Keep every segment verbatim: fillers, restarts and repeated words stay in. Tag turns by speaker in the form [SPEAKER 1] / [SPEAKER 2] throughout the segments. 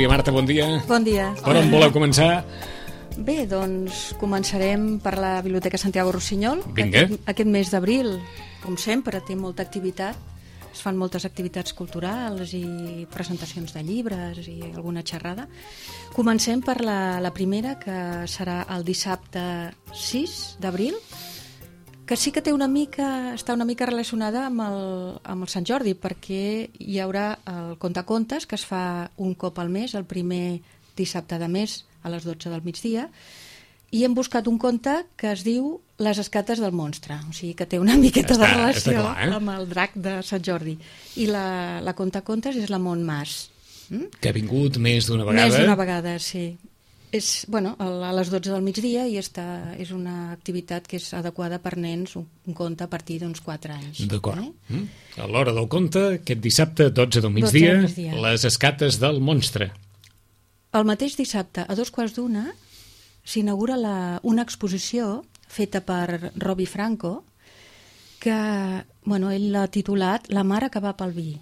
[SPEAKER 1] Núria Marta, bon dia.
[SPEAKER 2] Bon dia.
[SPEAKER 1] Per on voleu començar?
[SPEAKER 2] Bé, doncs començarem per la Biblioteca Santiago Rossinyol.
[SPEAKER 1] Vinga.
[SPEAKER 2] Aquest, aquest mes d'abril, com sempre, té molta activitat. Es fan moltes activitats culturals i presentacions de llibres i alguna xerrada. Comencem per la, la primera, que serà el dissabte sis d'abril, que sí que té una mica, està una mica relacionada amb el, amb el Sant Jordi, perquè hi haurà el contacontes, que es fa un cop al mes, el primer dissabte de mes, a les dotze del migdia, i hem buscat un conte que es diu Les escates del monstre, o sigui que té una miqueta
[SPEAKER 1] Està-
[SPEAKER 2] de relació
[SPEAKER 1] està clar, eh?
[SPEAKER 2] amb el drac de Sant Jordi. I la, la contacontes és la Montmàs. Mm?
[SPEAKER 1] Que ha vingut més d'una vegada.
[SPEAKER 2] Més d'una vegada, sí. És, bueno, a les dotze del migdia i està, és una activitat que és adequada per nens, un, un conte a partir d'uns quatre anys.
[SPEAKER 1] D'acord.
[SPEAKER 2] Eh?
[SPEAKER 1] Mm. A l'hora del conte, aquest dissabte, dotze del migdia,
[SPEAKER 2] del migdia.
[SPEAKER 1] Les escates del monstre.
[SPEAKER 2] El mateix dissabte, a dos quarts d'una, s'inaugura la- una exposició feta per Robbie Franco, que bueno, ell l'ha titulat La mare que va pel vi.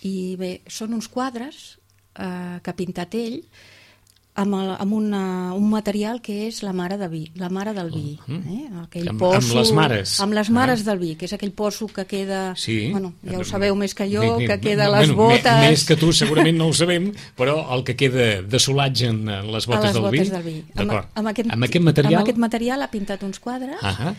[SPEAKER 2] I bé, són uns quadres eh, que ha pintat ell amb, el, amb una, un material que és la mare de vi, la mare del vi. Eh? Aquell
[SPEAKER 1] Amb-
[SPEAKER 2] poço,
[SPEAKER 1] amb les mares.
[SPEAKER 2] Amb les mares
[SPEAKER 1] Ah.
[SPEAKER 2] del vi, que és aquell poço que queda...
[SPEAKER 1] Sí.
[SPEAKER 2] Bueno, ja ho sabeu més que jo,
[SPEAKER 1] Bé, bé,
[SPEAKER 2] que queda
[SPEAKER 1] bé,
[SPEAKER 2] a les
[SPEAKER 1] bueno,
[SPEAKER 2] botes...
[SPEAKER 1] me- Més que tu segurament no ho sabem, però el que queda de solatge en les botes,
[SPEAKER 2] a les
[SPEAKER 1] del,
[SPEAKER 2] botes
[SPEAKER 1] vi,
[SPEAKER 2] del vi.
[SPEAKER 1] D'acord.
[SPEAKER 2] Amb, amb, aquest,
[SPEAKER 1] amb aquest material...
[SPEAKER 2] amb aquest material ha pintat uns quadres
[SPEAKER 1] Ah,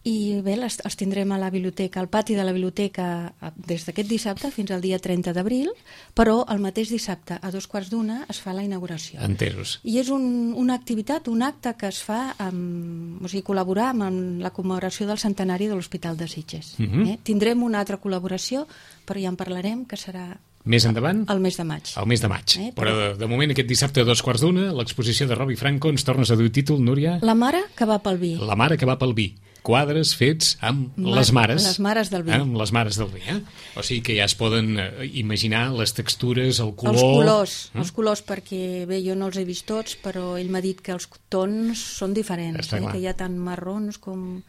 [SPEAKER 2] i bé, les, els tindrem a la biblioteca, al pati de la biblioteca a- des d'aquest dissabte fins al dia trenta d'abril, però el mateix dissabte a dos quarts d'una es fa la inauguració.
[SPEAKER 1] enteros.
[SPEAKER 2] I és un, una activitat, un acte que es fa amb, o sigui, col·laborar amb, amb la commemoració del centenari de l'Hospital de Sitges.
[SPEAKER 1] Mhm.
[SPEAKER 2] eh? Tindrem una altra col·laboració, però ja en parlarem, que serà
[SPEAKER 1] Més endavant?
[SPEAKER 2] el mes de maig.
[SPEAKER 1] El mes de maig.
[SPEAKER 2] Eh,
[SPEAKER 1] Però
[SPEAKER 2] però-
[SPEAKER 1] de, de moment, aquest dissabte a dos quarts d'una, l'exposició de Robbie Franco, ens tornes a dir el títol, Núria?
[SPEAKER 2] La mare que va pel vi.
[SPEAKER 1] La mare que va pel vi. Quadres fets amb
[SPEAKER 2] Ma-
[SPEAKER 1] les mares.
[SPEAKER 2] les mares del vi.
[SPEAKER 1] Eh? Amb les mares del vi, eh? O sigui que ja es poden eh, imaginar les textures, el color...
[SPEAKER 2] Els colors,
[SPEAKER 1] eh?
[SPEAKER 2] els colors, perquè bé, jo no els he vist tots, però ell m'ha dit que els tons són diferents,
[SPEAKER 1] Està
[SPEAKER 2] eh?
[SPEAKER 1] clar.
[SPEAKER 2] que hi ha tant marrons com...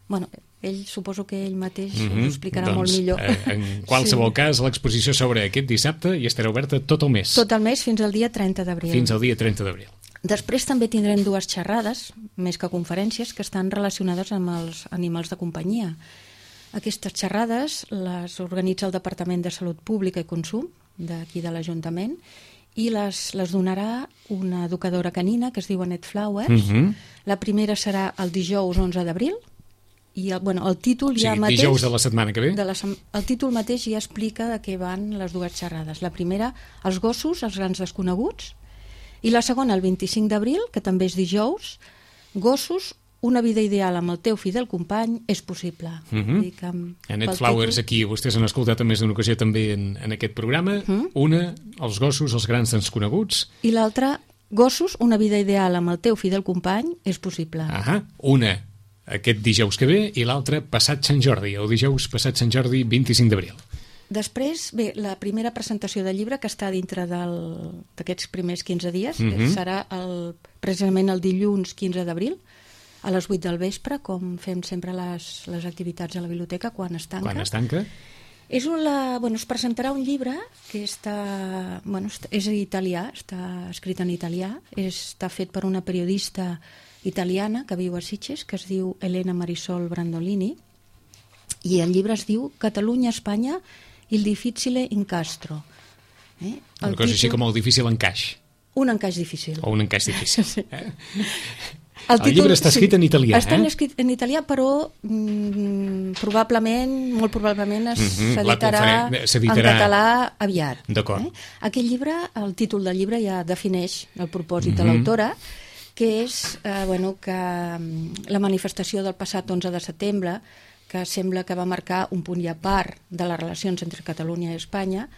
[SPEAKER 2] Bueno, ell suposo que ell mateix
[SPEAKER 1] Mhm.
[SPEAKER 2] us ho explicarà
[SPEAKER 1] doncs,
[SPEAKER 2] molt millor.
[SPEAKER 1] Eh, en qualsevol
[SPEAKER 2] Sí.
[SPEAKER 1] cas, l'exposició s'obre aquest dissabte i estarà oberta tot el mes.
[SPEAKER 2] Tot el mes fins al dia trenta d'abril.
[SPEAKER 1] Fins al dia trenta d'abril.
[SPEAKER 2] Després també tindrem dues xerrades, més que conferències, que estan relacionades amb els animals de companyia. Aquestes xerrades les organitza el Departament de Salut Pública i Consum d'aquí de l'Ajuntament i les, les donarà una educadora canina que es diu Annette Flowers.
[SPEAKER 1] Mhm.
[SPEAKER 2] La primera serà el dijous onze d'abril i el, bueno, el títol
[SPEAKER 1] O
[SPEAKER 2] ja
[SPEAKER 1] sigui,
[SPEAKER 2] mateix...
[SPEAKER 1] dijous de la setmana que ve.
[SPEAKER 2] de la, sem- el títol mateix ja explica de què van les dues xerrades. La primera, els gossos, els grans desconeguts, i la segona, el vint-i-cinc d'abril, que també és dijous, gossos, una vida ideal amb el teu fidel company és possible.
[SPEAKER 1] Mhm.
[SPEAKER 2] Vull dir que amb-
[SPEAKER 1] Annette
[SPEAKER 2] pel
[SPEAKER 1] Flowers,
[SPEAKER 2] títol-
[SPEAKER 1] aquí vostès han escoltat en més d'una ocasió també en, en aquest programa.
[SPEAKER 2] Mhm.
[SPEAKER 1] Una, els gossos, els grans desconeguts.
[SPEAKER 2] I l'altra, gossos, una vida ideal amb el teu fidel company és possible.
[SPEAKER 1] Ahà. Una, aquest dijous que ve, i l'altra, passat Sant Jordi, el dijous passat Sant Jordi, vint-i-cinc d'abril.
[SPEAKER 2] Després, bé, la primera presentació del llibre, que està dintre del- d'aquests primers quinze dies,
[SPEAKER 1] Mhm.
[SPEAKER 2] eh, serà el, precisament el dilluns quinze d'abril, a les vuit del vespre, com fem sempre les, les activitats a la biblioteca quan es tanca.
[SPEAKER 1] Quan es tanca?
[SPEAKER 2] És una, bueno, es presentarà un llibre que està, bueno, està- és italià, està escrit en italià, és, està fet per una periodista italiana que viu a Sitges, que es diu Elena Marisol Brandolini, i el llibre es diu Catalunya-Espanya, il difficile incastro. Eh?
[SPEAKER 1] Una cosa així com el difícil encaix,
[SPEAKER 2] Un encaix difícil.
[SPEAKER 1] o un encaix difícil.
[SPEAKER 2] Sí.
[SPEAKER 1] Eh? El llibre està escrit en italià,
[SPEAKER 2] Està
[SPEAKER 1] eh?
[SPEAKER 2] escrit en italià, però mm, probablement, molt probablement es
[SPEAKER 1] Mhm, la
[SPEAKER 2] s'editarà
[SPEAKER 1] conferen-
[SPEAKER 2] en
[SPEAKER 1] s'editarà-
[SPEAKER 2] català aviat.
[SPEAKER 1] D'acord.
[SPEAKER 2] Eh? Aquest llibre, el títol del llibre ja defineix el propòsit de
[SPEAKER 1] Mhm.
[SPEAKER 2] l'autora, que és eh, bueno, que mm, la manifestació del passat onze de setembre, que sembla que va marcar un punt i a part de les relacions entre Catalunya i Espanya,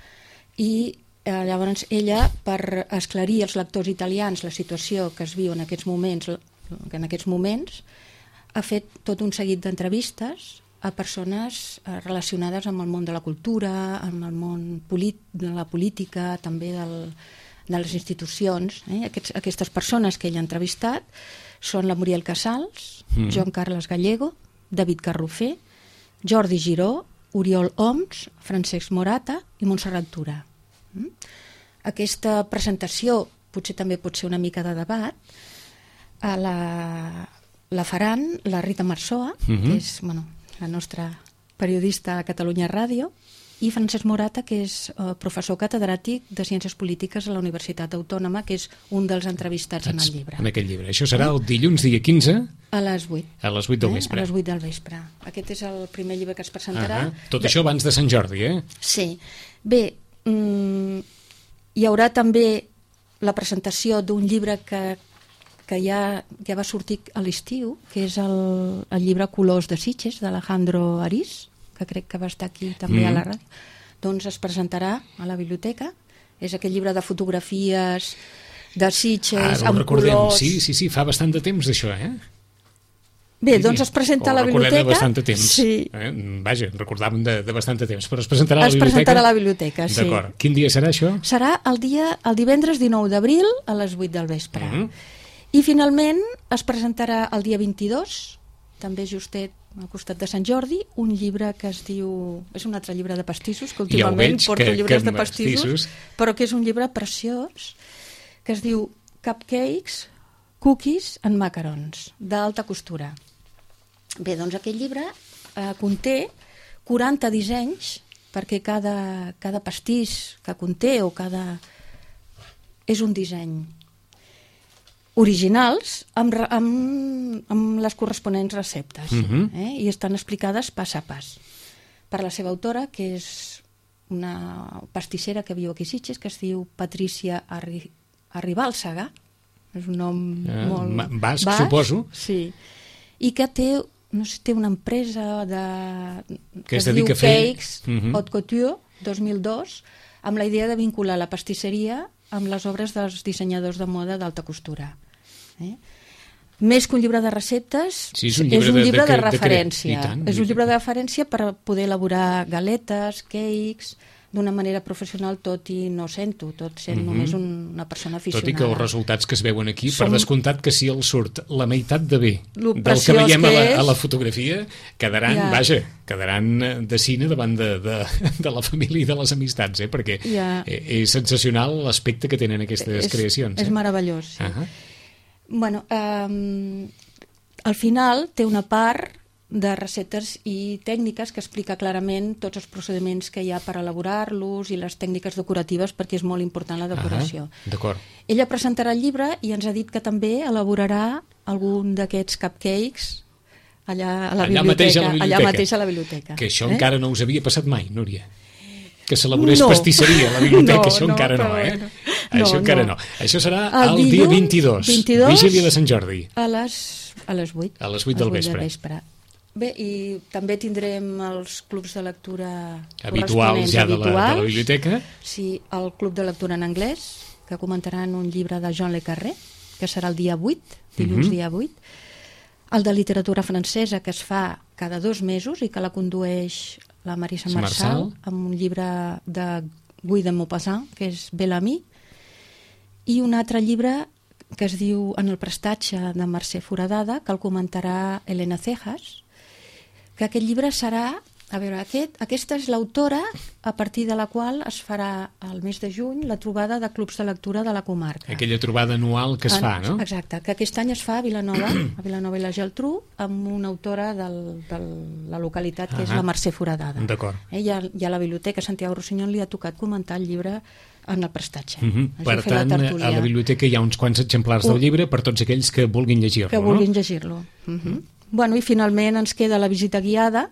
[SPEAKER 2] i eh, llavors ella, per esclarir als lectors italians la situació que es viu en aquests moments, en aquests moments ha fet tot un seguit d'entrevistes a persones eh, relacionades amb el món de la cultura, amb el món de la política, també del, de les institucions. Eh? Aquests, aquestes persones que ell ha entrevistat són la Muriel Casals, mm. Joan Carles Gallego, David Carrofer, Jordi Giró, Oriol Oms, Francesc Morata i Montserrat Tura. Mm? aquesta presentació potser també pot ser una mica de debat. A la, la faran la Rita Marzoa, uh-huh. que és bueno, la nostra periodista a Catalunya Ràdio, i Francesc Morata, que és uh, professor catedràtic de Ciències Polítiques a la Universitat Autònoma, que és un dels entrevistats en el llibre.
[SPEAKER 1] En aquest llibre. Això serà el dilluns dia quinze?
[SPEAKER 2] A les vuit.
[SPEAKER 1] A les vuit del vespre.
[SPEAKER 2] Eh? A les vuit del vespre. Aquest és el primer llibre que es presentarà.
[SPEAKER 1] Uh -huh. Tot de... això abans de Sant Jordi, eh?
[SPEAKER 2] Sí. Bé, mm, hi haurà també la presentació d'un llibre que, que ja, ja va sortir a l'estiu, que és el, el llibre Colors de Sitges, d'Alejandro Ariz, que crec que va estar aquí també mm. a la ràdio. Doncs es presentarà a la biblioteca. És aquell llibre de fotografies de Sitges,
[SPEAKER 1] ah,
[SPEAKER 2] amb
[SPEAKER 1] recordem.
[SPEAKER 2] colors...
[SPEAKER 1] Sí, sí, sí, fa bastant de temps d'això, eh?
[SPEAKER 2] Bé,
[SPEAKER 1] sí,
[SPEAKER 2] doncs es presenta a la biblioteca.
[SPEAKER 1] Ho recordem de bastant de temps.
[SPEAKER 2] Sí.
[SPEAKER 1] Eh? Vaja, recordàvem de, de bastant de temps, però es presentarà a la
[SPEAKER 2] es
[SPEAKER 1] biblioteca. Es
[SPEAKER 2] presentarà a la biblioteca, sí.
[SPEAKER 1] D'acord. Quin dia serà això?
[SPEAKER 2] Serà el dia, el divendres dinou d'abril a les vuit del vespre. Mm -hmm. I finalment es presentarà el dia vint-i-dos, també justet al costat de Sant Jordi, un llibre que es diu... És un altre llibre de pastissos, que últimament ja porto que, llibres que de pastissos, pastissos, però que és un llibre preciós, que es diu Cupcakes, Cookies and Macarons, d'alta costura. Bé, doncs aquest llibre eh, conté quaranta dissenys, perquè cada, cada pastís que conté o cada... és un disseny originals amb, amb, amb les corresponents receptes, uh-huh. eh? I estan explicades pas a pas per la seva autora, que és una pastissera que viu aquí a Sitges, que es diu Patricia Arri Arribàlsaga, és un nom uh, molt...
[SPEAKER 1] Basc, basc, suposo.
[SPEAKER 2] Sí, i que té, no sé, té una empresa de,
[SPEAKER 1] que,
[SPEAKER 2] que
[SPEAKER 1] es,
[SPEAKER 2] es diu
[SPEAKER 1] dedica a fer...
[SPEAKER 2] Cakes uh-huh. Haute Couture dos mil dos, amb la idea de vincular la pastisseria amb les obres dels dissenyadors de moda d'alta costura. Eh? Més que un llibre de receptes,
[SPEAKER 1] sí, és un llibre,
[SPEAKER 2] és un
[SPEAKER 1] de,
[SPEAKER 2] llibre de, de,
[SPEAKER 1] de,
[SPEAKER 2] referència.
[SPEAKER 1] De tant,
[SPEAKER 2] és un llibre de referència per poder elaborar galetes, cakes, d'una manera professional, tot i no sento, tot sent uh-huh. només un, una persona aficionada.
[SPEAKER 1] Tot i que els resultats que es veuen aquí,
[SPEAKER 2] Som...
[SPEAKER 1] per descomptat que si el surt la meitat de bé
[SPEAKER 2] Lo
[SPEAKER 1] del que veiem
[SPEAKER 2] que
[SPEAKER 1] a, la,
[SPEAKER 2] és...
[SPEAKER 1] a la fotografia, quedaran, ja. vaja, quedaran de cine davant de, de, de la família i de les amistats, eh? Perquè ja. és sensacional l'aspecte que tenen aquestes
[SPEAKER 2] és,
[SPEAKER 1] creacions.
[SPEAKER 2] És
[SPEAKER 1] eh?
[SPEAKER 2] meravellós, sí.
[SPEAKER 1] Uh -huh.
[SPEAKER 2] Bueno, um, al final té una part de receptes i tècniques que explica clarament tots els procediments que hi ha per elaborar-los i les tècniques decoratives, perquè és molt important la decoració.
[SPEAKER 1] Ah, d'acord.
[SPEAKER 2] Ella presentarà el llibre i ens ha dit que també elaborarà algun d'aquests cupcakes allà a la,
[SPEAKER 1] allà
[SPEAKER 2] biblioteca,
[SPEAKER 1] mateix a la biblioteca.
[SPEAKER 2] Allà mateix a la biblioteca.
[SPEAKER 1] Que això
[SPEAKER 2] eh?
[SPEAKER 1] encara no us havia passat mai, Núria. Que s'elaborés
[SPEAKER 2] no.
[SPEAKER 1] pastisseria a la biblioteca,
[SPEAKER 2] no,
[SPEAKER 1] això
[SPEAKER 2] no,
[SPEAKER 1] encara no, eh?
[SPEAKER 2] No,
[SPEAKER 1] això
[SPEAKER 2] no.
[SPEAKER 1] encara no. Això serà
[SPEAKER 2] el,
[SPEAKER 1] el
[SPEAKER 2] dilluns,
[SPEAKER 1] dia vint-i-dos,
[SPEAKER 2] vint-i-dos,
[SPEAKER 1] vigília de Sant Jordi.
[SPEAKER 2] A les, a les vuit.
[SPEAKER 1] A les vuit del vespre.
[SPEAKER 2] vespre. Bé, i també tindrem els clubs de lectura
[SPEAKER 1] habituals ja de la, de la biblioteca.
[SPEAKER 2] Sí, el club de lectura en anglès, que comentaran un llibre de John le Carré, que serà el dia vuit, dilluns uh-huh. dia vuit. El de literatura francesa, que es fa cada dos mesos i que la condueix la Marisa Marçal, Marçal, amb un llibre de Guy de Maupassant, que és Bel-Ami, i un altre llibre que es diu En el prestatge, de Mercè Foradada, que el comentarà Elena Cejas, que aquest llibre serà... A veure, aquest, aquesta és l'autora a partir de la qual es farà el mes de juny la trobada de clubs de lectura de la comarca.
[SPEAKER 1] Aquella trobada anual que es en, fa, no?
[SPEAKER 2] Exacte, que aquest any es fa a Vilanova, a Vilanova i la Geltrú, amb una autora del, de la localitat, que uh-huh. és la Mercè Foradada.
[SPEAKER 1] D'acord.
[SPEAKER 2] Eh, ja, ja a la biblioteca Santiago Rossinyol li ha tocat comentar el llibre en el prestatge.
[SPEAKER 1] Uh-huh. Per tant, a la biblioteca hi ha uns quants exemplars uh, del llibre per tots aquells que vulguin llegir-lo,
[SPEAKER 2] que
[SPEAKER 1] no?
[SPEAKER 2] vulguin llegir-lo. Uh-huh. Uh-huh. Bueno, i finalment ens queda la visita guiada,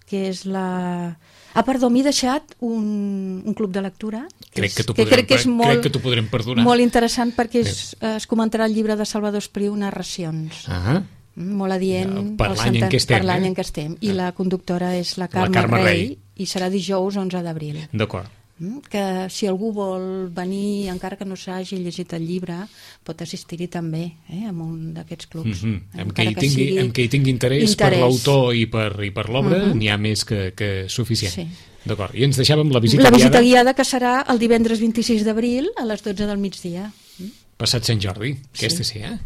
[SPEAKER 2] que és la... Ah, perdó, m'he deixat un, un club de lectura que,
[SPEAKER 1] crec que,
[SPEAKER 2] és,
[SPEAKER 1] que,
[SPEAKER 2] crec que és molt,
[SPEAKER 1] crec que t'ho podrem perdonar.
[SPEAKER 2] Molt interessant, perquè es, es comentarà el llibre de Salvador Espriu, Narracions.
[SPEAKER 1] Ah,
[SPEAKER 2] molt adient
[SPEAKER 1] per l'any en què estem.
[SPEAKER 2] Per l'any
[SPEAKER 1] eh?
[SPEAKER 2] en què estem. I ah. la conductora és la Carme,
[SPEAKER 1] la Carme
[SPEAKER 2] Rey,
[SPEAKER 1] Rey,
[SPEAKER 2] i serà dijous onze d'abril.
[SPEAKER 1] D'acord.
[SPEAKER 2] Que si algú vol venir, encara que no s'hagi llegit el llibre, pot assistir-hi també, eh, en un d'aquests clubs.
[SPEAKER 1] Mm -hmm. Amb, que hi tingui, que amb que hi tingui interès, interès. per l'autor i per, i per l'obra, mm -hmm. n'hi ha més que, que suficient. Sí. D'acord. I ens deixàvem la visita
[SPEAKER 2] guiada. La visita
[SPEAKER 1] guiada,
[SPEAKER 2] guiada que serà el divendres vint-i-sis d'abril a les dotze del migdia.
[SPEAKER 1] Passat Sant Jordi, aquesta sí, sí eh?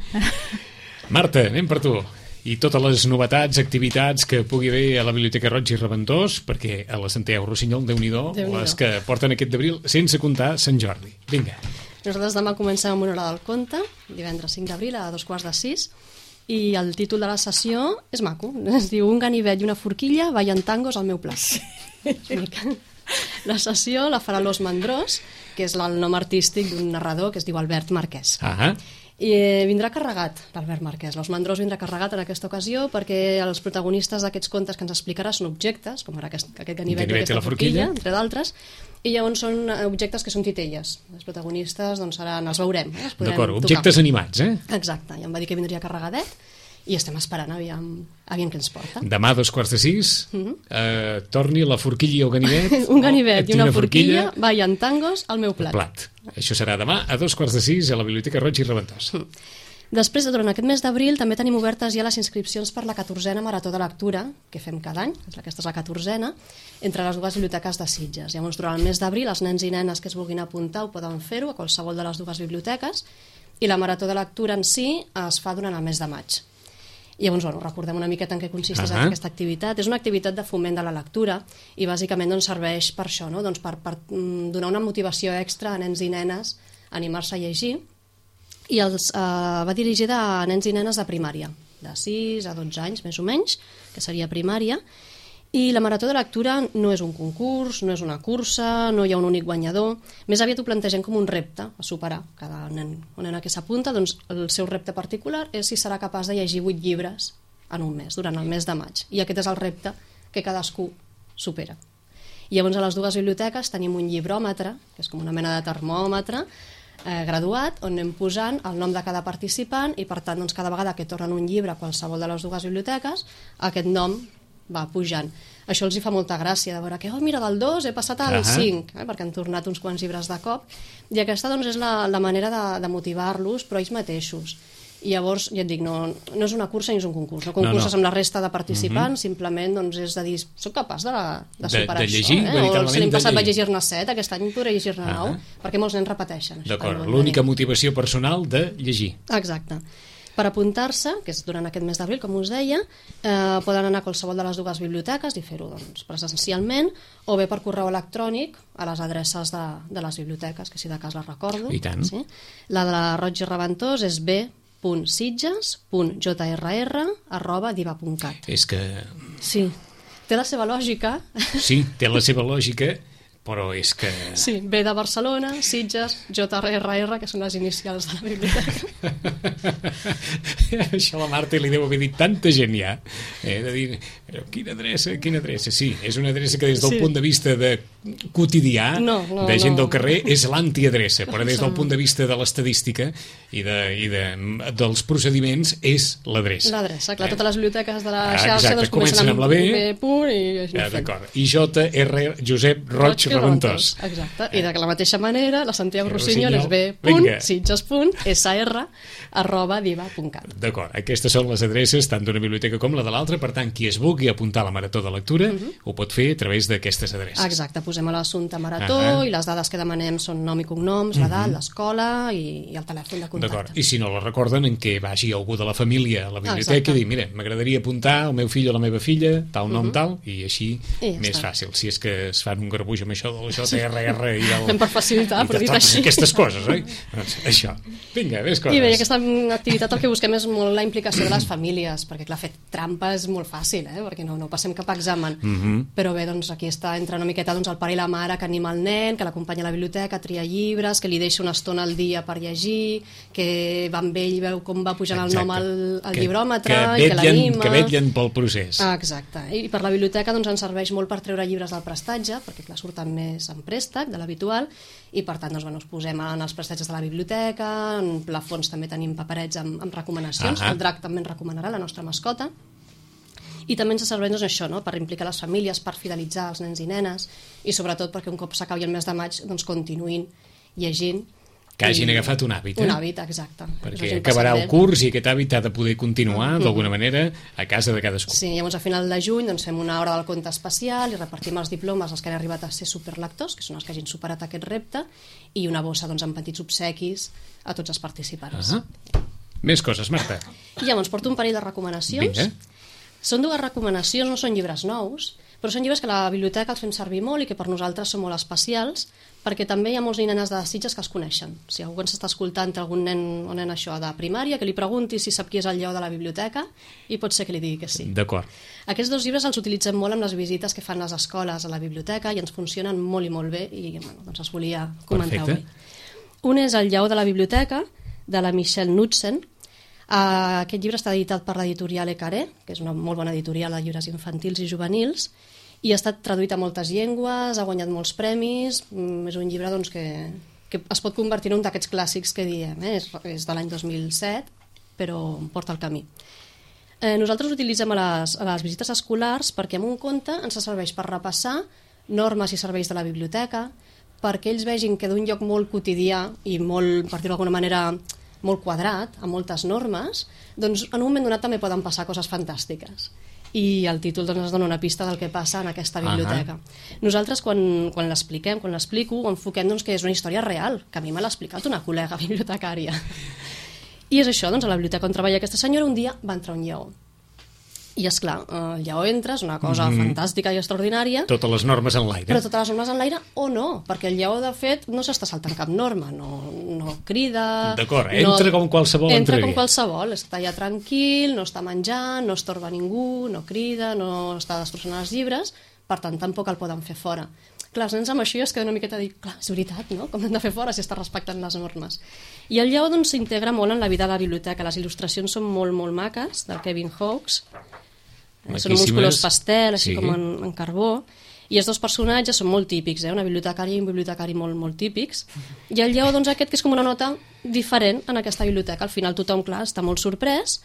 [SPEAKER 1] Marta, anem per tu. i totes les novetats, activitats que pugui haver a la Biblioteca Roig i Reventós, perquè a la Santiago Rossinyol, Déu-n'hi-do, les que porten aquest d'abril, sense comptar Sant Jordi. Vinga.
[SPEAKER 3] Nosaltres demà comencem amb una hora del conte, divendres cinc d'abril a dos quarts de sis, i el títol de la sessió és maco, es diu Un ganivet i una forquilla ballen tangos al meu plat. La sessió la farà l'Os Mandrós, que és el nom artístic d'un narrador que es diu Albert Marquès.
[SPEAKER 1] Ah,
[SPEAKER 3] I vindrà carregat l'Albert Marquès. L'Os Mandrós vindrà carregat en aquesta ocasió perquè els protagonistes d'aquests contes que ens explicarà són objectes, com ara aquest, aquest ganivet i aquesta forquilla, entre d'altres, i llavors són objectes que són titelles. Els protagonistes doncs, seran, els veurem. Eh? Els
[SPEAKER 1] d'acord, objectes tocar. Animats, eh?
[SPEAKER 3] Exacte, i em va dir que vindria carregadet, i estem esperant, aviam, aviam què ens porta.
[SPEAKER 1] Demà a dos quarts de sis, mm-hmm. eh, torni la forquilla i el ganivet.
[SPEAKER 3] Un ganivet oh, i una, una forquilla, forquilla ballen tangos al meu plat.
[SPEAKER 1] plat. Això serà demà a dos quarts de sis a la Biblioteca Roig i Reventós. Mm.
[SPEAKER 3] Després, durant aquest mes d'abril, també tenim obertes ja les inscripcions per la catorzena Marató de Lectura, que fem cada any, aquesta és la catorzena, entre les dues biblioteques de Sitges. Llavors, durant el mes d'abril, els nens i nenes que es vulguin apuntar ho poden fer-ho a qualsevol de les dues biblioteques, i la Marató de Lectura en si es fa durant el mes de maig. I llavors, bueno, recordem una miqueta en què consisteix uh-huh. aquesta activitat. És una activitat de foment de la lectura i bàsicament doncs, serveix per això, no? doncs per, per donar una motivació extra a nens i nenes a animar-se a llegir, i els, eh, va dirigida a nens i nenes de primària, de sis a dotze anys, més o menys, que seria primària, i la Marató de Lectura no és un concurs, no és una cursa, no hi ha un únic guanyador, més aviat ho plantegem com un repte a superar. Cada nen o nena que s'apunta, doncs el seu repte particular és si serà capaç de llegir vuit llibres en un mes, durant el mes de maig, i aquest és el repte que cadascú supera. I llavors a les dues biblioteques tenim un llibròmetre, que és com una mena de termòmetre, Eh, graduat, on anem posant el nom de cada participant i per tant doncs, cada vegada que tornen un llibre a qualsevol de les dues biblioteques aquest nom va pujant. Això els hi fa molta gràcia de veure que, oh mira, del dos he passat al cinc, eh, perquè han tornat uns quants llibres de cop, i aquesta doncs, és la, la manera de, de motivar-los, però ells mateixos. I llavors, ja et dic, no, no és una cursa ni és un concurs, no concurses no, no. amb la resta de participants, mm-hmm. simplement doncs, és de dir, soc capaç de, de superar
[SPEAKER 1] de, de llegir,
[SPEAKER 3] això, eh? o l'any passat vaig llegir-ne set, aquest any podré llegir-ne ah. nou, perquè molts nens repeteixen.
[SPEAKER 1] D'acord, l'única motivació personal de llegir.
[SPEAKER 3] Exacte. Per apuntar-se, que és durant aquest mes d'abril, com us deia, eh, poden anar a qualsevol de les dues biblioteques i fer-ho doncs, presencialment, o bé per correu electrònic a les adreces de, de les biblioteques, que si de cas les recordo.
[SPEAKER 1] I tant.
[SPEAKER 3] Sí? La de la Roig i Reventós és b punt sitges punt jrr arroba diva punt cat.
[SPEAKER 1] És que...
[SPEAKER 3] Sí, té la seva lògica.
[SPEAKER 1] Sí, té la seva lògica, però és que...
[SPEAKER 3] Sí, B de Barcelona, Sitges, J R R, que són les inicials de la biblioteca.
[SPEAKER 1] Això la Marta li deu haver dit tanta gent ja, eh, de dir, però quina adreça, quina adreça? Sí, és una adreça que des del sí. punt de vista de quotidià,
[SPEAKER 3] no, no,
[SPEAKER 1] de gent
[SPEAKER 3] no.
[SPEAKER 1] del carrer, és l'antiadreça, però des del punt de vista de l'estadística i, de, i de, dels procediments és l'adreça.
[SPEAKER 3] L'adreça, clar, eh? Totes les biblioteques de la
[SPEAKER 1] ah,
[SPEAKER 3] xarxa
[SPEAKER 1] exacte,
[SPEAKER 3] doncs, comencen amb la B, B punt i...
[SPEAKER 1] Ja, d'acord. I J R Josep Roig Reventós.
[SPEAKER 3] Exacte, i de la mateixa manera la Santiago Rossinyol és b punt sitges punt s r arroba diva punt cat.
[SPEAKER 1] D'acord, aquestes són les adreces tant d'una biblioteca com la de l'altra, per tant qui es vulgui apuntar a la Marató de Lectura uh-huh. ho pot fer a través d'aquestes adreces.
[SPEAKER 3] Exacte, posem a l'assumpte Marató uh-huh. i les dades que demanem són nom i cognoms, uh-huh. l'edat, l'escola i, i el telèfon de contacte.
[SPEAKER 1] D'acord, i si no la recorden en què vagi algú de la família a la biblioteca Exacte. I dir, mira, m'agradaria apuntar el meu fill o la meva filla, tal nom, uh-huh. tal, i així I més està. Fàcil, si és que es fan un garbuix amb això del J R R i del...
[SPEAKER 3] Fem per facilitar, per dir-ho així.
[SPEAKER 1] Aquestes coses, oi? Doncs això. Vinga, més coses.
[SPEAKER 3] I bé, aquesta activitat el que busquem és molt la implicació de les famílies, perquè clar, fer trampa és molt fàcil, eh? Perquè no, no passem cap examen. Mm-hmm. Però bé, doncs aquí està, entra una miqueta doncs, el pare i la mare que anima el nen, que l'acompanya a la biblioteca, a triar llibres, que li deixa una estona al dia per llegir, que va amb ell i veu com va pujant Exacte. El nom al, al que, llibròmetre
[SPEAKER 1] que
[SPEAKER 3] i que l'anima.
[SPEAKER 1] Que vetllen pel procés.
[SPEAKER 3] Ah, exacte. I per la biblioteca doncs, ens serveix molt per treure llibres del prestatge, perquè clar, surten més en préstec de l'habitual, i per tant doncs, bueno, ens posem en els prestatges de la biblioteca, en plafons també tenim paperets amb, amb recomanacions, uh-huh. el drac també ens recomanarà, la nostra mascota, i també ens serveix doncs, això, no? Per implicar les famílies, per fidelitzar els nens i nenes, i sobretot perquè un cop s'acabi el mes de maig doncs, continuïn llegint.
[SPEAKER 1] Que hagin I... agafat un hàbit, eh?
[SPEAKER 3] Un hàbit, exacte.
[SPEAKER 1] Perquè acabarà el curs i aquest hàbit ha de poder continuar, uh-huh. d'alguna manera, a casa de cadascú.
[SPEAKER 3] Sí, llavors a final de juny doncs, fem una hora del conte especial i repartim els diplomes als que han arribat a ser superlectors, que són els que hagin superat aquest repte, i una bossa doncs, amb petits obsequis a tots els participants.
[SPEAKER 1] Uh-huh. Més coses, Marta.
[SPEAKER 3] I llavors porto un parell de recomanacions.
[SPEAKER 1] Vinga.
[SPEAKER 3] Són dues recomanacions, no són llibres nous, però són llibres que a la biblioteca els fem servir molt i que per nosaltres són molt especials, perquè també hi ha molts nenes de Sitges que els coneixen. Si algú ens està escoltant, algun nen o nena això de primària, que li pregunti si sap qui és el lleó de la biblioteca i pot ser que li digui que sí.
[SPEAKER 1] D'acord.
[SPEAKER 3] Aquests dos llibres els utilitzem molt amb les visites que fan les escoles a la biblioteca i ens funcionen molt i molt bé i bueno, doncs els volia comentar avui. Un és El lleó de la biblioteca, de la Michelle Knudsen. Uh, aquest llibre està editat per l'editorial Ecaré, que és una molt bona editorial de llibres infantils i juvenils, i ha estat traduït a moltes llengües, ha guanyat molts premis, mm, és un llibre doncs, que, que es pot convertir en un d'aquests clàssics que diem, eh? és, és de l'any dos mil set, però porta el camí. Eh, nosaltres l'utilitzem a les, a les visites escolars perquè amb un conte ens serveix per repassar normes i serveis de la biblioteca, perquè ells vegin que d'un lloc molt quotidià i molt, per dir-ho d'alguna manera, molt quadrat, amb moltes normes, doncs en un moment donat també poden passar coses fantàstiques. I el títol doncs, ens dona una pista del que passa en aquesta biblioteca. Uh-huh. Nosaltres, quan, quan l'expliquem, quan l'explico, ho enfoquem doncs, que és una història real, que a mi me l'ha explicat una col·lega bibliotecària. I és això, doncs, a la biblioteca on treballa aquesta senyora, un dia va entrar un lleó. I, esclar, el lleó entra, és una cosa mm. fantàstica i extraordinària.
[SPEAKER 1] Totes les normes en l'aire.
[SPEAKER 3] Però totes les normes en l'aire o no, perquè el lleó, de fet, no s'està saltant cap norma, no, no crida...
[SPEAKER 1] D'acord, entra
[SPEAKER 3] no,
[SPEAKER 1] com qualsevol
[SPEAKER 3] entra
[SPEAKER 1] entrevia.
[SPEAKER 3] com qualsevol, està allà tranquil, no està menjant, no estorba ningú, no crida, no està destrossant els llibres, per tant, tampoc el poden fer fora. Clar, els nens amb això es queden una miqueta a dir, clar, és veritat, no? Com hem de fer fora si està respectant les normes? I el lleó doncs, s'integra molt en la vida de la biblioteca. Les il·lustracions són molt, molt maques, del Kevin Hawkes. Són uns colors pastel, així sí. com en, en carbó, i els dos personatges són molt típics, eh? Una bibliotecària i un bibliotecari molt, molt típics, i el lleó doncs, aquest que és com una nota diferent en aquesta biblioteca. Al final tothom, clar, està molt sorprès,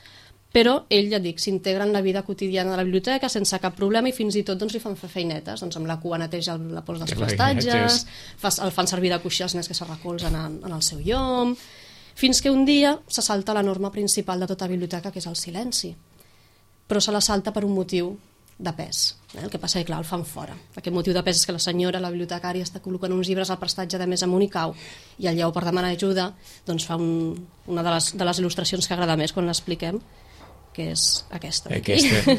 [SPEAKER 3] però ell, ja dic, s'integra en la vida quotidiana de la biblioteca sense cap problema i fins i tot doncs, li fan fer feinetes, doncs amb la cua neteja la pols dels prestatges, el fan servir de coixí els nens que se recolzen en, en el seu llom, fins que un dia se salta la norma principal de tota biblioteca, que és el silenci. Però se la salta per un motiu de pes. Eh? El que passa és que, clar, el fan fora. Aquest motiu de pes és que la senyora, la bibliotecària, està col·locant uns llibres al prestatge de més amunt i cau, i el lleó, per demanar ajuda, doncs fa un, una de les, de les il·lustracions que agrada més quan l'expliquem, que és aquesta.
[SPEAKER 1] Aquesta.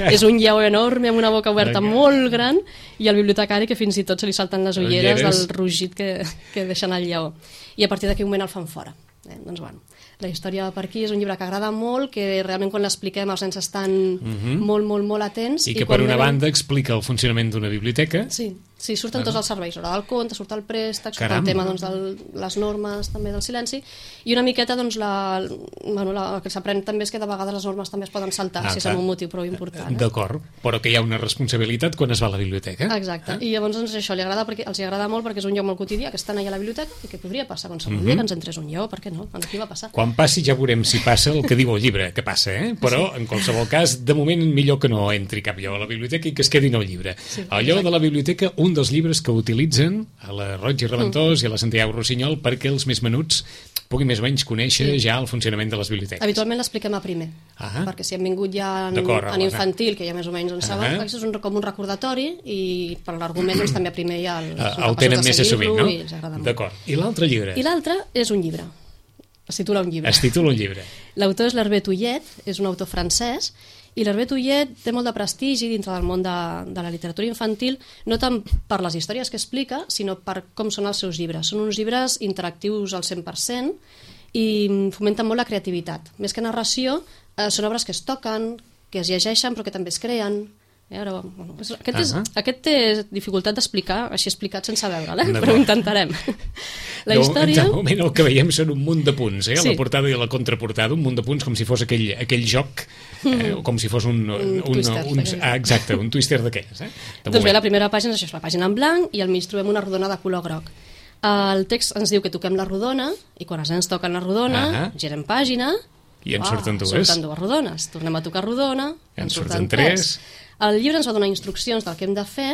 [SPEAKER 3] És un lleó enorme amb una boca oberta okay. molt gran, i el bibliotecari que fins i tot se li salten les ulleres, ulleres. del rugit que, que deixen el lleó. I a partir d'aquell moment el fan fora. Eh? Doncs bueno, la història per aquí és un llibre que agrada molt, que realment quan l'expliquem els nens estan uh-huh. molt, molt, molt atents.
[SPEAKER 1] I que i per una banda explica el funcionament d'una biblioteca.
[SPEAKER 3] Sí, sí, surten uh-huh. tots els serveis, l'hora del conte, surt el préstec, surt el tema doncs, de les normes també del silenci, i una miqueta doncs, la, bueno, la, el que s'aprèn també és que de vegades les normes també es poden saltar, ah, si és un motiu prou important. Eh?
[SPEAKER 1] D'acord, però que hi ha una responsabilitat quan es va a la biblioteca.
[SPEAKER 3] Exacte, eh? I llavors doncs, això li agrada perquè, els agrada molt perquè és un lloc molt quotidià, que estan allà a la biblioteca i que podria passar qualsevol uh-huh. dia que ens entrés un lleó, per què no? Aquí va passar.
[SPEAKER 1] Quan passi ja veurem si passa el que diu el llibre, que passa, eh? Però sí. en qualsevol cas, de moment millor que no entri cap lleó a la biblioteca i que es quedi en el llibre. Sí, el lleó de la biblioteca, un dels llibres que utilitzen a la Roig i Reventós mm. i a la Santiago Rossinyol perquè els més menuts puguin més o menys conèixer sí. ja el funcionament de les biblioteques.
[SPEAKER 3] Habitualment l'expliquem a primer, ah. perquè si han vingut ja en, en infantil, que ja més o menys en saben, ah. és un, com un recordatori i per l'argument doncs, també a primer ja els,
[SPEAKER 1] uh, el tenen més assumit, no? D'acord. I l'altre llibre?
[SPEAKER 3] I l'altre és un llibre. Es titula un llibre.
[SPEAKER 1] Es titula un llibre.
[SPEAKER 3] L'autor és l'Hervé Touillet, és un autor francès, i l'Hervé Touillet té molt de prestigi dintre del món de, de la literatura infantil, no tant per les històries que explica, sinó per com són els seus llibres. Són uns llibres interactius al cent per cent i fomenten molt la creativitat. Més que narració, eh, són obres que es toquen, que es llegeixen, però que també es creen. Eh, ara, bueno, aquest, és, uh-huh. aquest té dificultat d'explicar, així explicat sense veure'l, eh? Però ho intentarem. La història...
[SPEAKER 1] De moment el que veiem són un munt de punts, eh? Sí. La portada i la contraportada, un munt de punts com si fos aquell, aquell joc, eh? com si fos un... un, un twister. Un, ah, exacte, un twister d'aquells. Eh? De
[SPEAKER 3] doncs bé, la primera pàgina és això, és la pàgina en blanc i al mig trobem una rodona de color groc. El text ens diu que toquem la rodona i quan els nens toquen la rodona, uh-huh. girem pàgina...
[SPEAKER 1] I en surten dues.
[SPEAKER 3] Surten dues rodones. Tornem a tocar rodona, en, en surten, surten tres. tres. El llibre ens va donar instruccions del que hem de fer,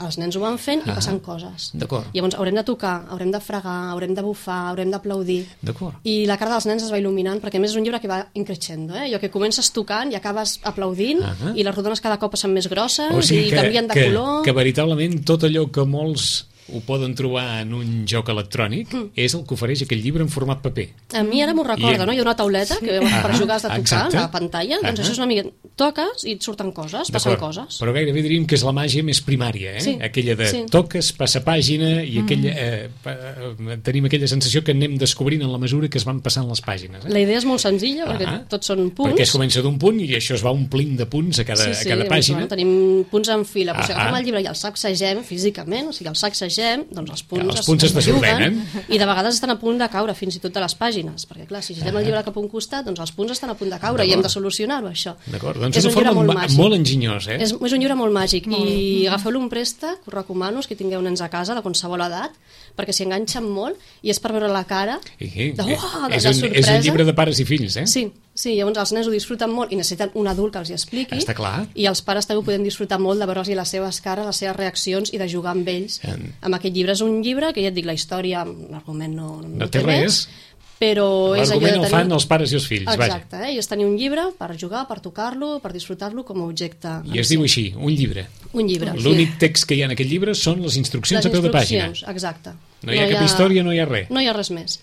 [SPEAKER 3] els nens ho van fent i ah, passen coses.
[SPEAKER 1] D'acord.
[SPEAKER 3] Llavors haurem de tocar, haurem de fregar, haurem de bufar, haurem d'aplaudir.
[SPEAKER 1] D'acord.
[SPEAKER 3] I la cara dels nens es va il·luminant, perquè a més és un llibre que va increixendo, eh? Allò que comences tocant i acabes aplaudint, uh-huh. i les rodones cada cop són més grosses o sigui i
[SPEAKER 1] que,
[SPEAKER 3] canvien de
[SPEAKER 1] que,
[SPEAKER 3] color.
[SPEAKER 1] Que veritablement tot allò que molts ho poden trobar en un joc electrònic, mm. és el que ofereix aquell llibre en format paper.
[SPEAKER 3] A mi ara m'ho recorda, I... no? Hi ha una tauleta sí. que ah, per jugar has de tocar exacte. La pantalla, doncs ah, això és una mica... Toques i et surten coses, passen coses.
[SPEAKER 1] Però gairebé diríem que és la màgia més primària, eh? Sí. Aquella de sí. toques, passa pàgina i mm. aquella, eh, tenim aquella sensació que anem descobrint en la mesura que es van passant les pàgines. Eh?
[SPEAKER 3] La idea és molt senzilla, perquè ah, tots són punts.
[SPEAKER 1] Perquè es comença d'un punt i això es va omplint de punts a cada, sí, sí, a cada pàgina.
[SPEAKER 3] Bueno, tenim punts en fila, però ah, si agafem el llibre i el sacsegem físicament, o sigui, el sacsegem, doncs els punts,
[SPEAKER 1] els punts es, es desordenen.
[SPEAKER 3] I de vegades estan a punt de caure, fins i tot de les pàgines, perquè clar, si girem ah. el llibre cap a un costat, doncs els punts estan a punt de caure i hem de solucionar-ho, això.
[SPEAKER 1] D'acord, doncs és una forma molt, màgic. molt enginyós, eh?
[SPEAKER 3] És, és un llibre molt màgic molt i agafeu-lo un préstec, us recomano, que tingueu nens a casa de qualsevol edat, perquè s'hi enganxen molt i és per veure la cara
[SPEAKER 1] I, de, uah, de, és, un, de és un llibre de pares i fills, eh?
[SPEAKER 3] Sí, sí, llavors els nens ho disfruten molt i necessiten un adult que els hi expliqui.
[SPEAKER 1] Està clar.
[SPEAKER 3] I els pares també ho podem disfrutar molt de veure'ls les seves cares, les seves reaccions i de jugar amb ells. En... Amb aquest llibre és un llibre que ja et dic, la història, l'argument no, no,
[SPEAKER 1] no té res,
[SPEAKER 3] però és allò de
[SPEAKER 1] tenir... el fan els pares i els fills,
[SPEAKER 3] exacte,
[SPEAKER 1] vaja.
[SPEAKER 3] Eh? I és tenir un llibre per jugar, per tocar-lo, per disfrutar-lo com a objecte.
[SPEAKER 1] I es diu així, un llibre.
[SPEAKER 3] Un llibre.
[SPEAKER 1] L'únic text que hi ha en aquest llibre són les instruccions
[SPEAKER 3] les
[SPEAKER 1] a peu de pàgina.
[SPEAKER 3] Exacte.
[SPEAKER 1] No hi ha no cap hi ha... història, no hi ha res.
[SPEAKER 3] No hi ha res més.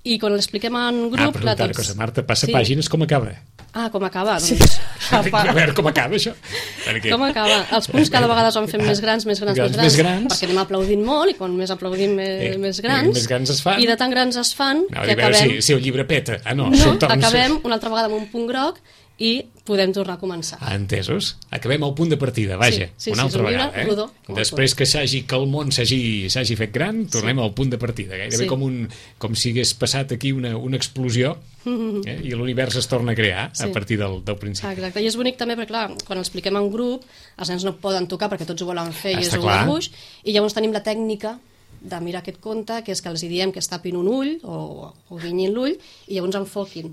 [SPEAKER 3] I quan l'expliquem en grup...
[SPEAKER 1] Ah, però una cosa, Marta, passa sí. pàgines com acaba.
[SPEAKER 3] Ah, com acaba?
[SPEAKER 1] Sí.
[SPEAKER 3] Doncs...
[SPEAKER 1] A veure, com acaba això? Perquè...
[SPEAKER 3] Com acaba? Els punts cada vegada es van fent més grans, més grans, grans, més, grans,
[SPEAKER 1] més grans,
[SPEAKER 3] perquè anem aplaudint molt i quan més aplaudim més, eh, més grans.
[SPEAKER 1] Més grans es fan.
[SPEAKER 3] I de tan grans es fan
[SPEAKER 1] no,
[SPEAKER 3] que acabem...
[SPEAKER 1] Si, si el llibre peta. Ah, no,
[SPEAKER 3] no acabem una altra vegada amb un punt groc i podem tornar a començar.
[SPEAKER 1] Ah, entesos? Acabem al punt de partida, vaja,
[SPEAKER 3] sí, sí,
[SPEAKER 1] una
[SPEAKER 3] sí,
[SPEAKER 1] altra vegada. Eh?
[SPEAKER 3] Rodó,
[SPEAKER 1] Després que s'hagi que el món s'hagi fet gran, tornem sí. al punt de partida. Gairebé sí. com, un, com si hagués passat aquí una, una explosió eh? i l'univers es torna a crear sí. a partir del, del principi.
[SPEAKER 3] Exacte, i és bonic també perquè, clar, quan l'expliquem en grup, els nens no poden tocar perquè tots ho volen fer i
[SPEAKER 1] Està
[SPEAKER 3] és un dibuix, i llavors tenim la tècnica de mirar aquest conte, que és que els diem que es tapin un ull o, o guinyin l'ull i llavors enfoquin.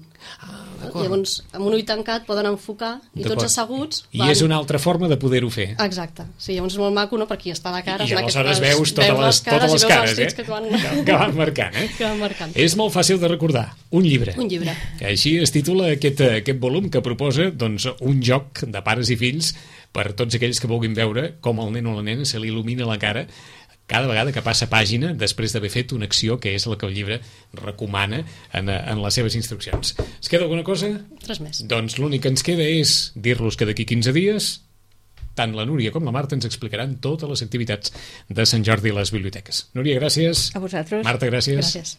[SPEAKER 1] Ah,
[SPEAKER 3] llavors, amb un ull tancat poden enfocar i tots asseguts...
[SPEAKER 1] I van... és una altra forma de poder-ho fer.
[SPEAKER 3] Exacte. Sí, llavors és molt maco, no?, perquè està la cara...
[SPEAKER 1] I, i aleshores veus totes les, totes les cares, eh?
[SPEAKER 3] Que van...
[SPEAKER 1] que van marcant, eh?
[SPEAKER 3] Que van marcant.
[SPEAKER 1] És molt fàcil de recordar. Un llibre.
[SPEAKER 3] Un llibre.
[SPEAKER 1] Així es titula aquest, aquest volum que proposa doncs, un joc de pares i fills per tots aquells que vulguin veure com el nen o la nena se li il·lumina la cara cada vegada que passa pàgina després d'haver fet una acció que és la que el llibre recomana en, en les seves instruccions. Es queda alguna cosa?
[SPEAKER 3] Res més.
[SPEAKER 1] Doncs l'únic que ens queda és dir-los que d'aquí quinze dies tant la Núria com la Marta ens explicaran totes les activitats de Sant Jordi a les biblioteques. Núria, gràcies.
[SPEAKER 2] A vosaltres.
[SPEAKER 1] Marta, gràcies.
[SPEAKER 3] Gràcies.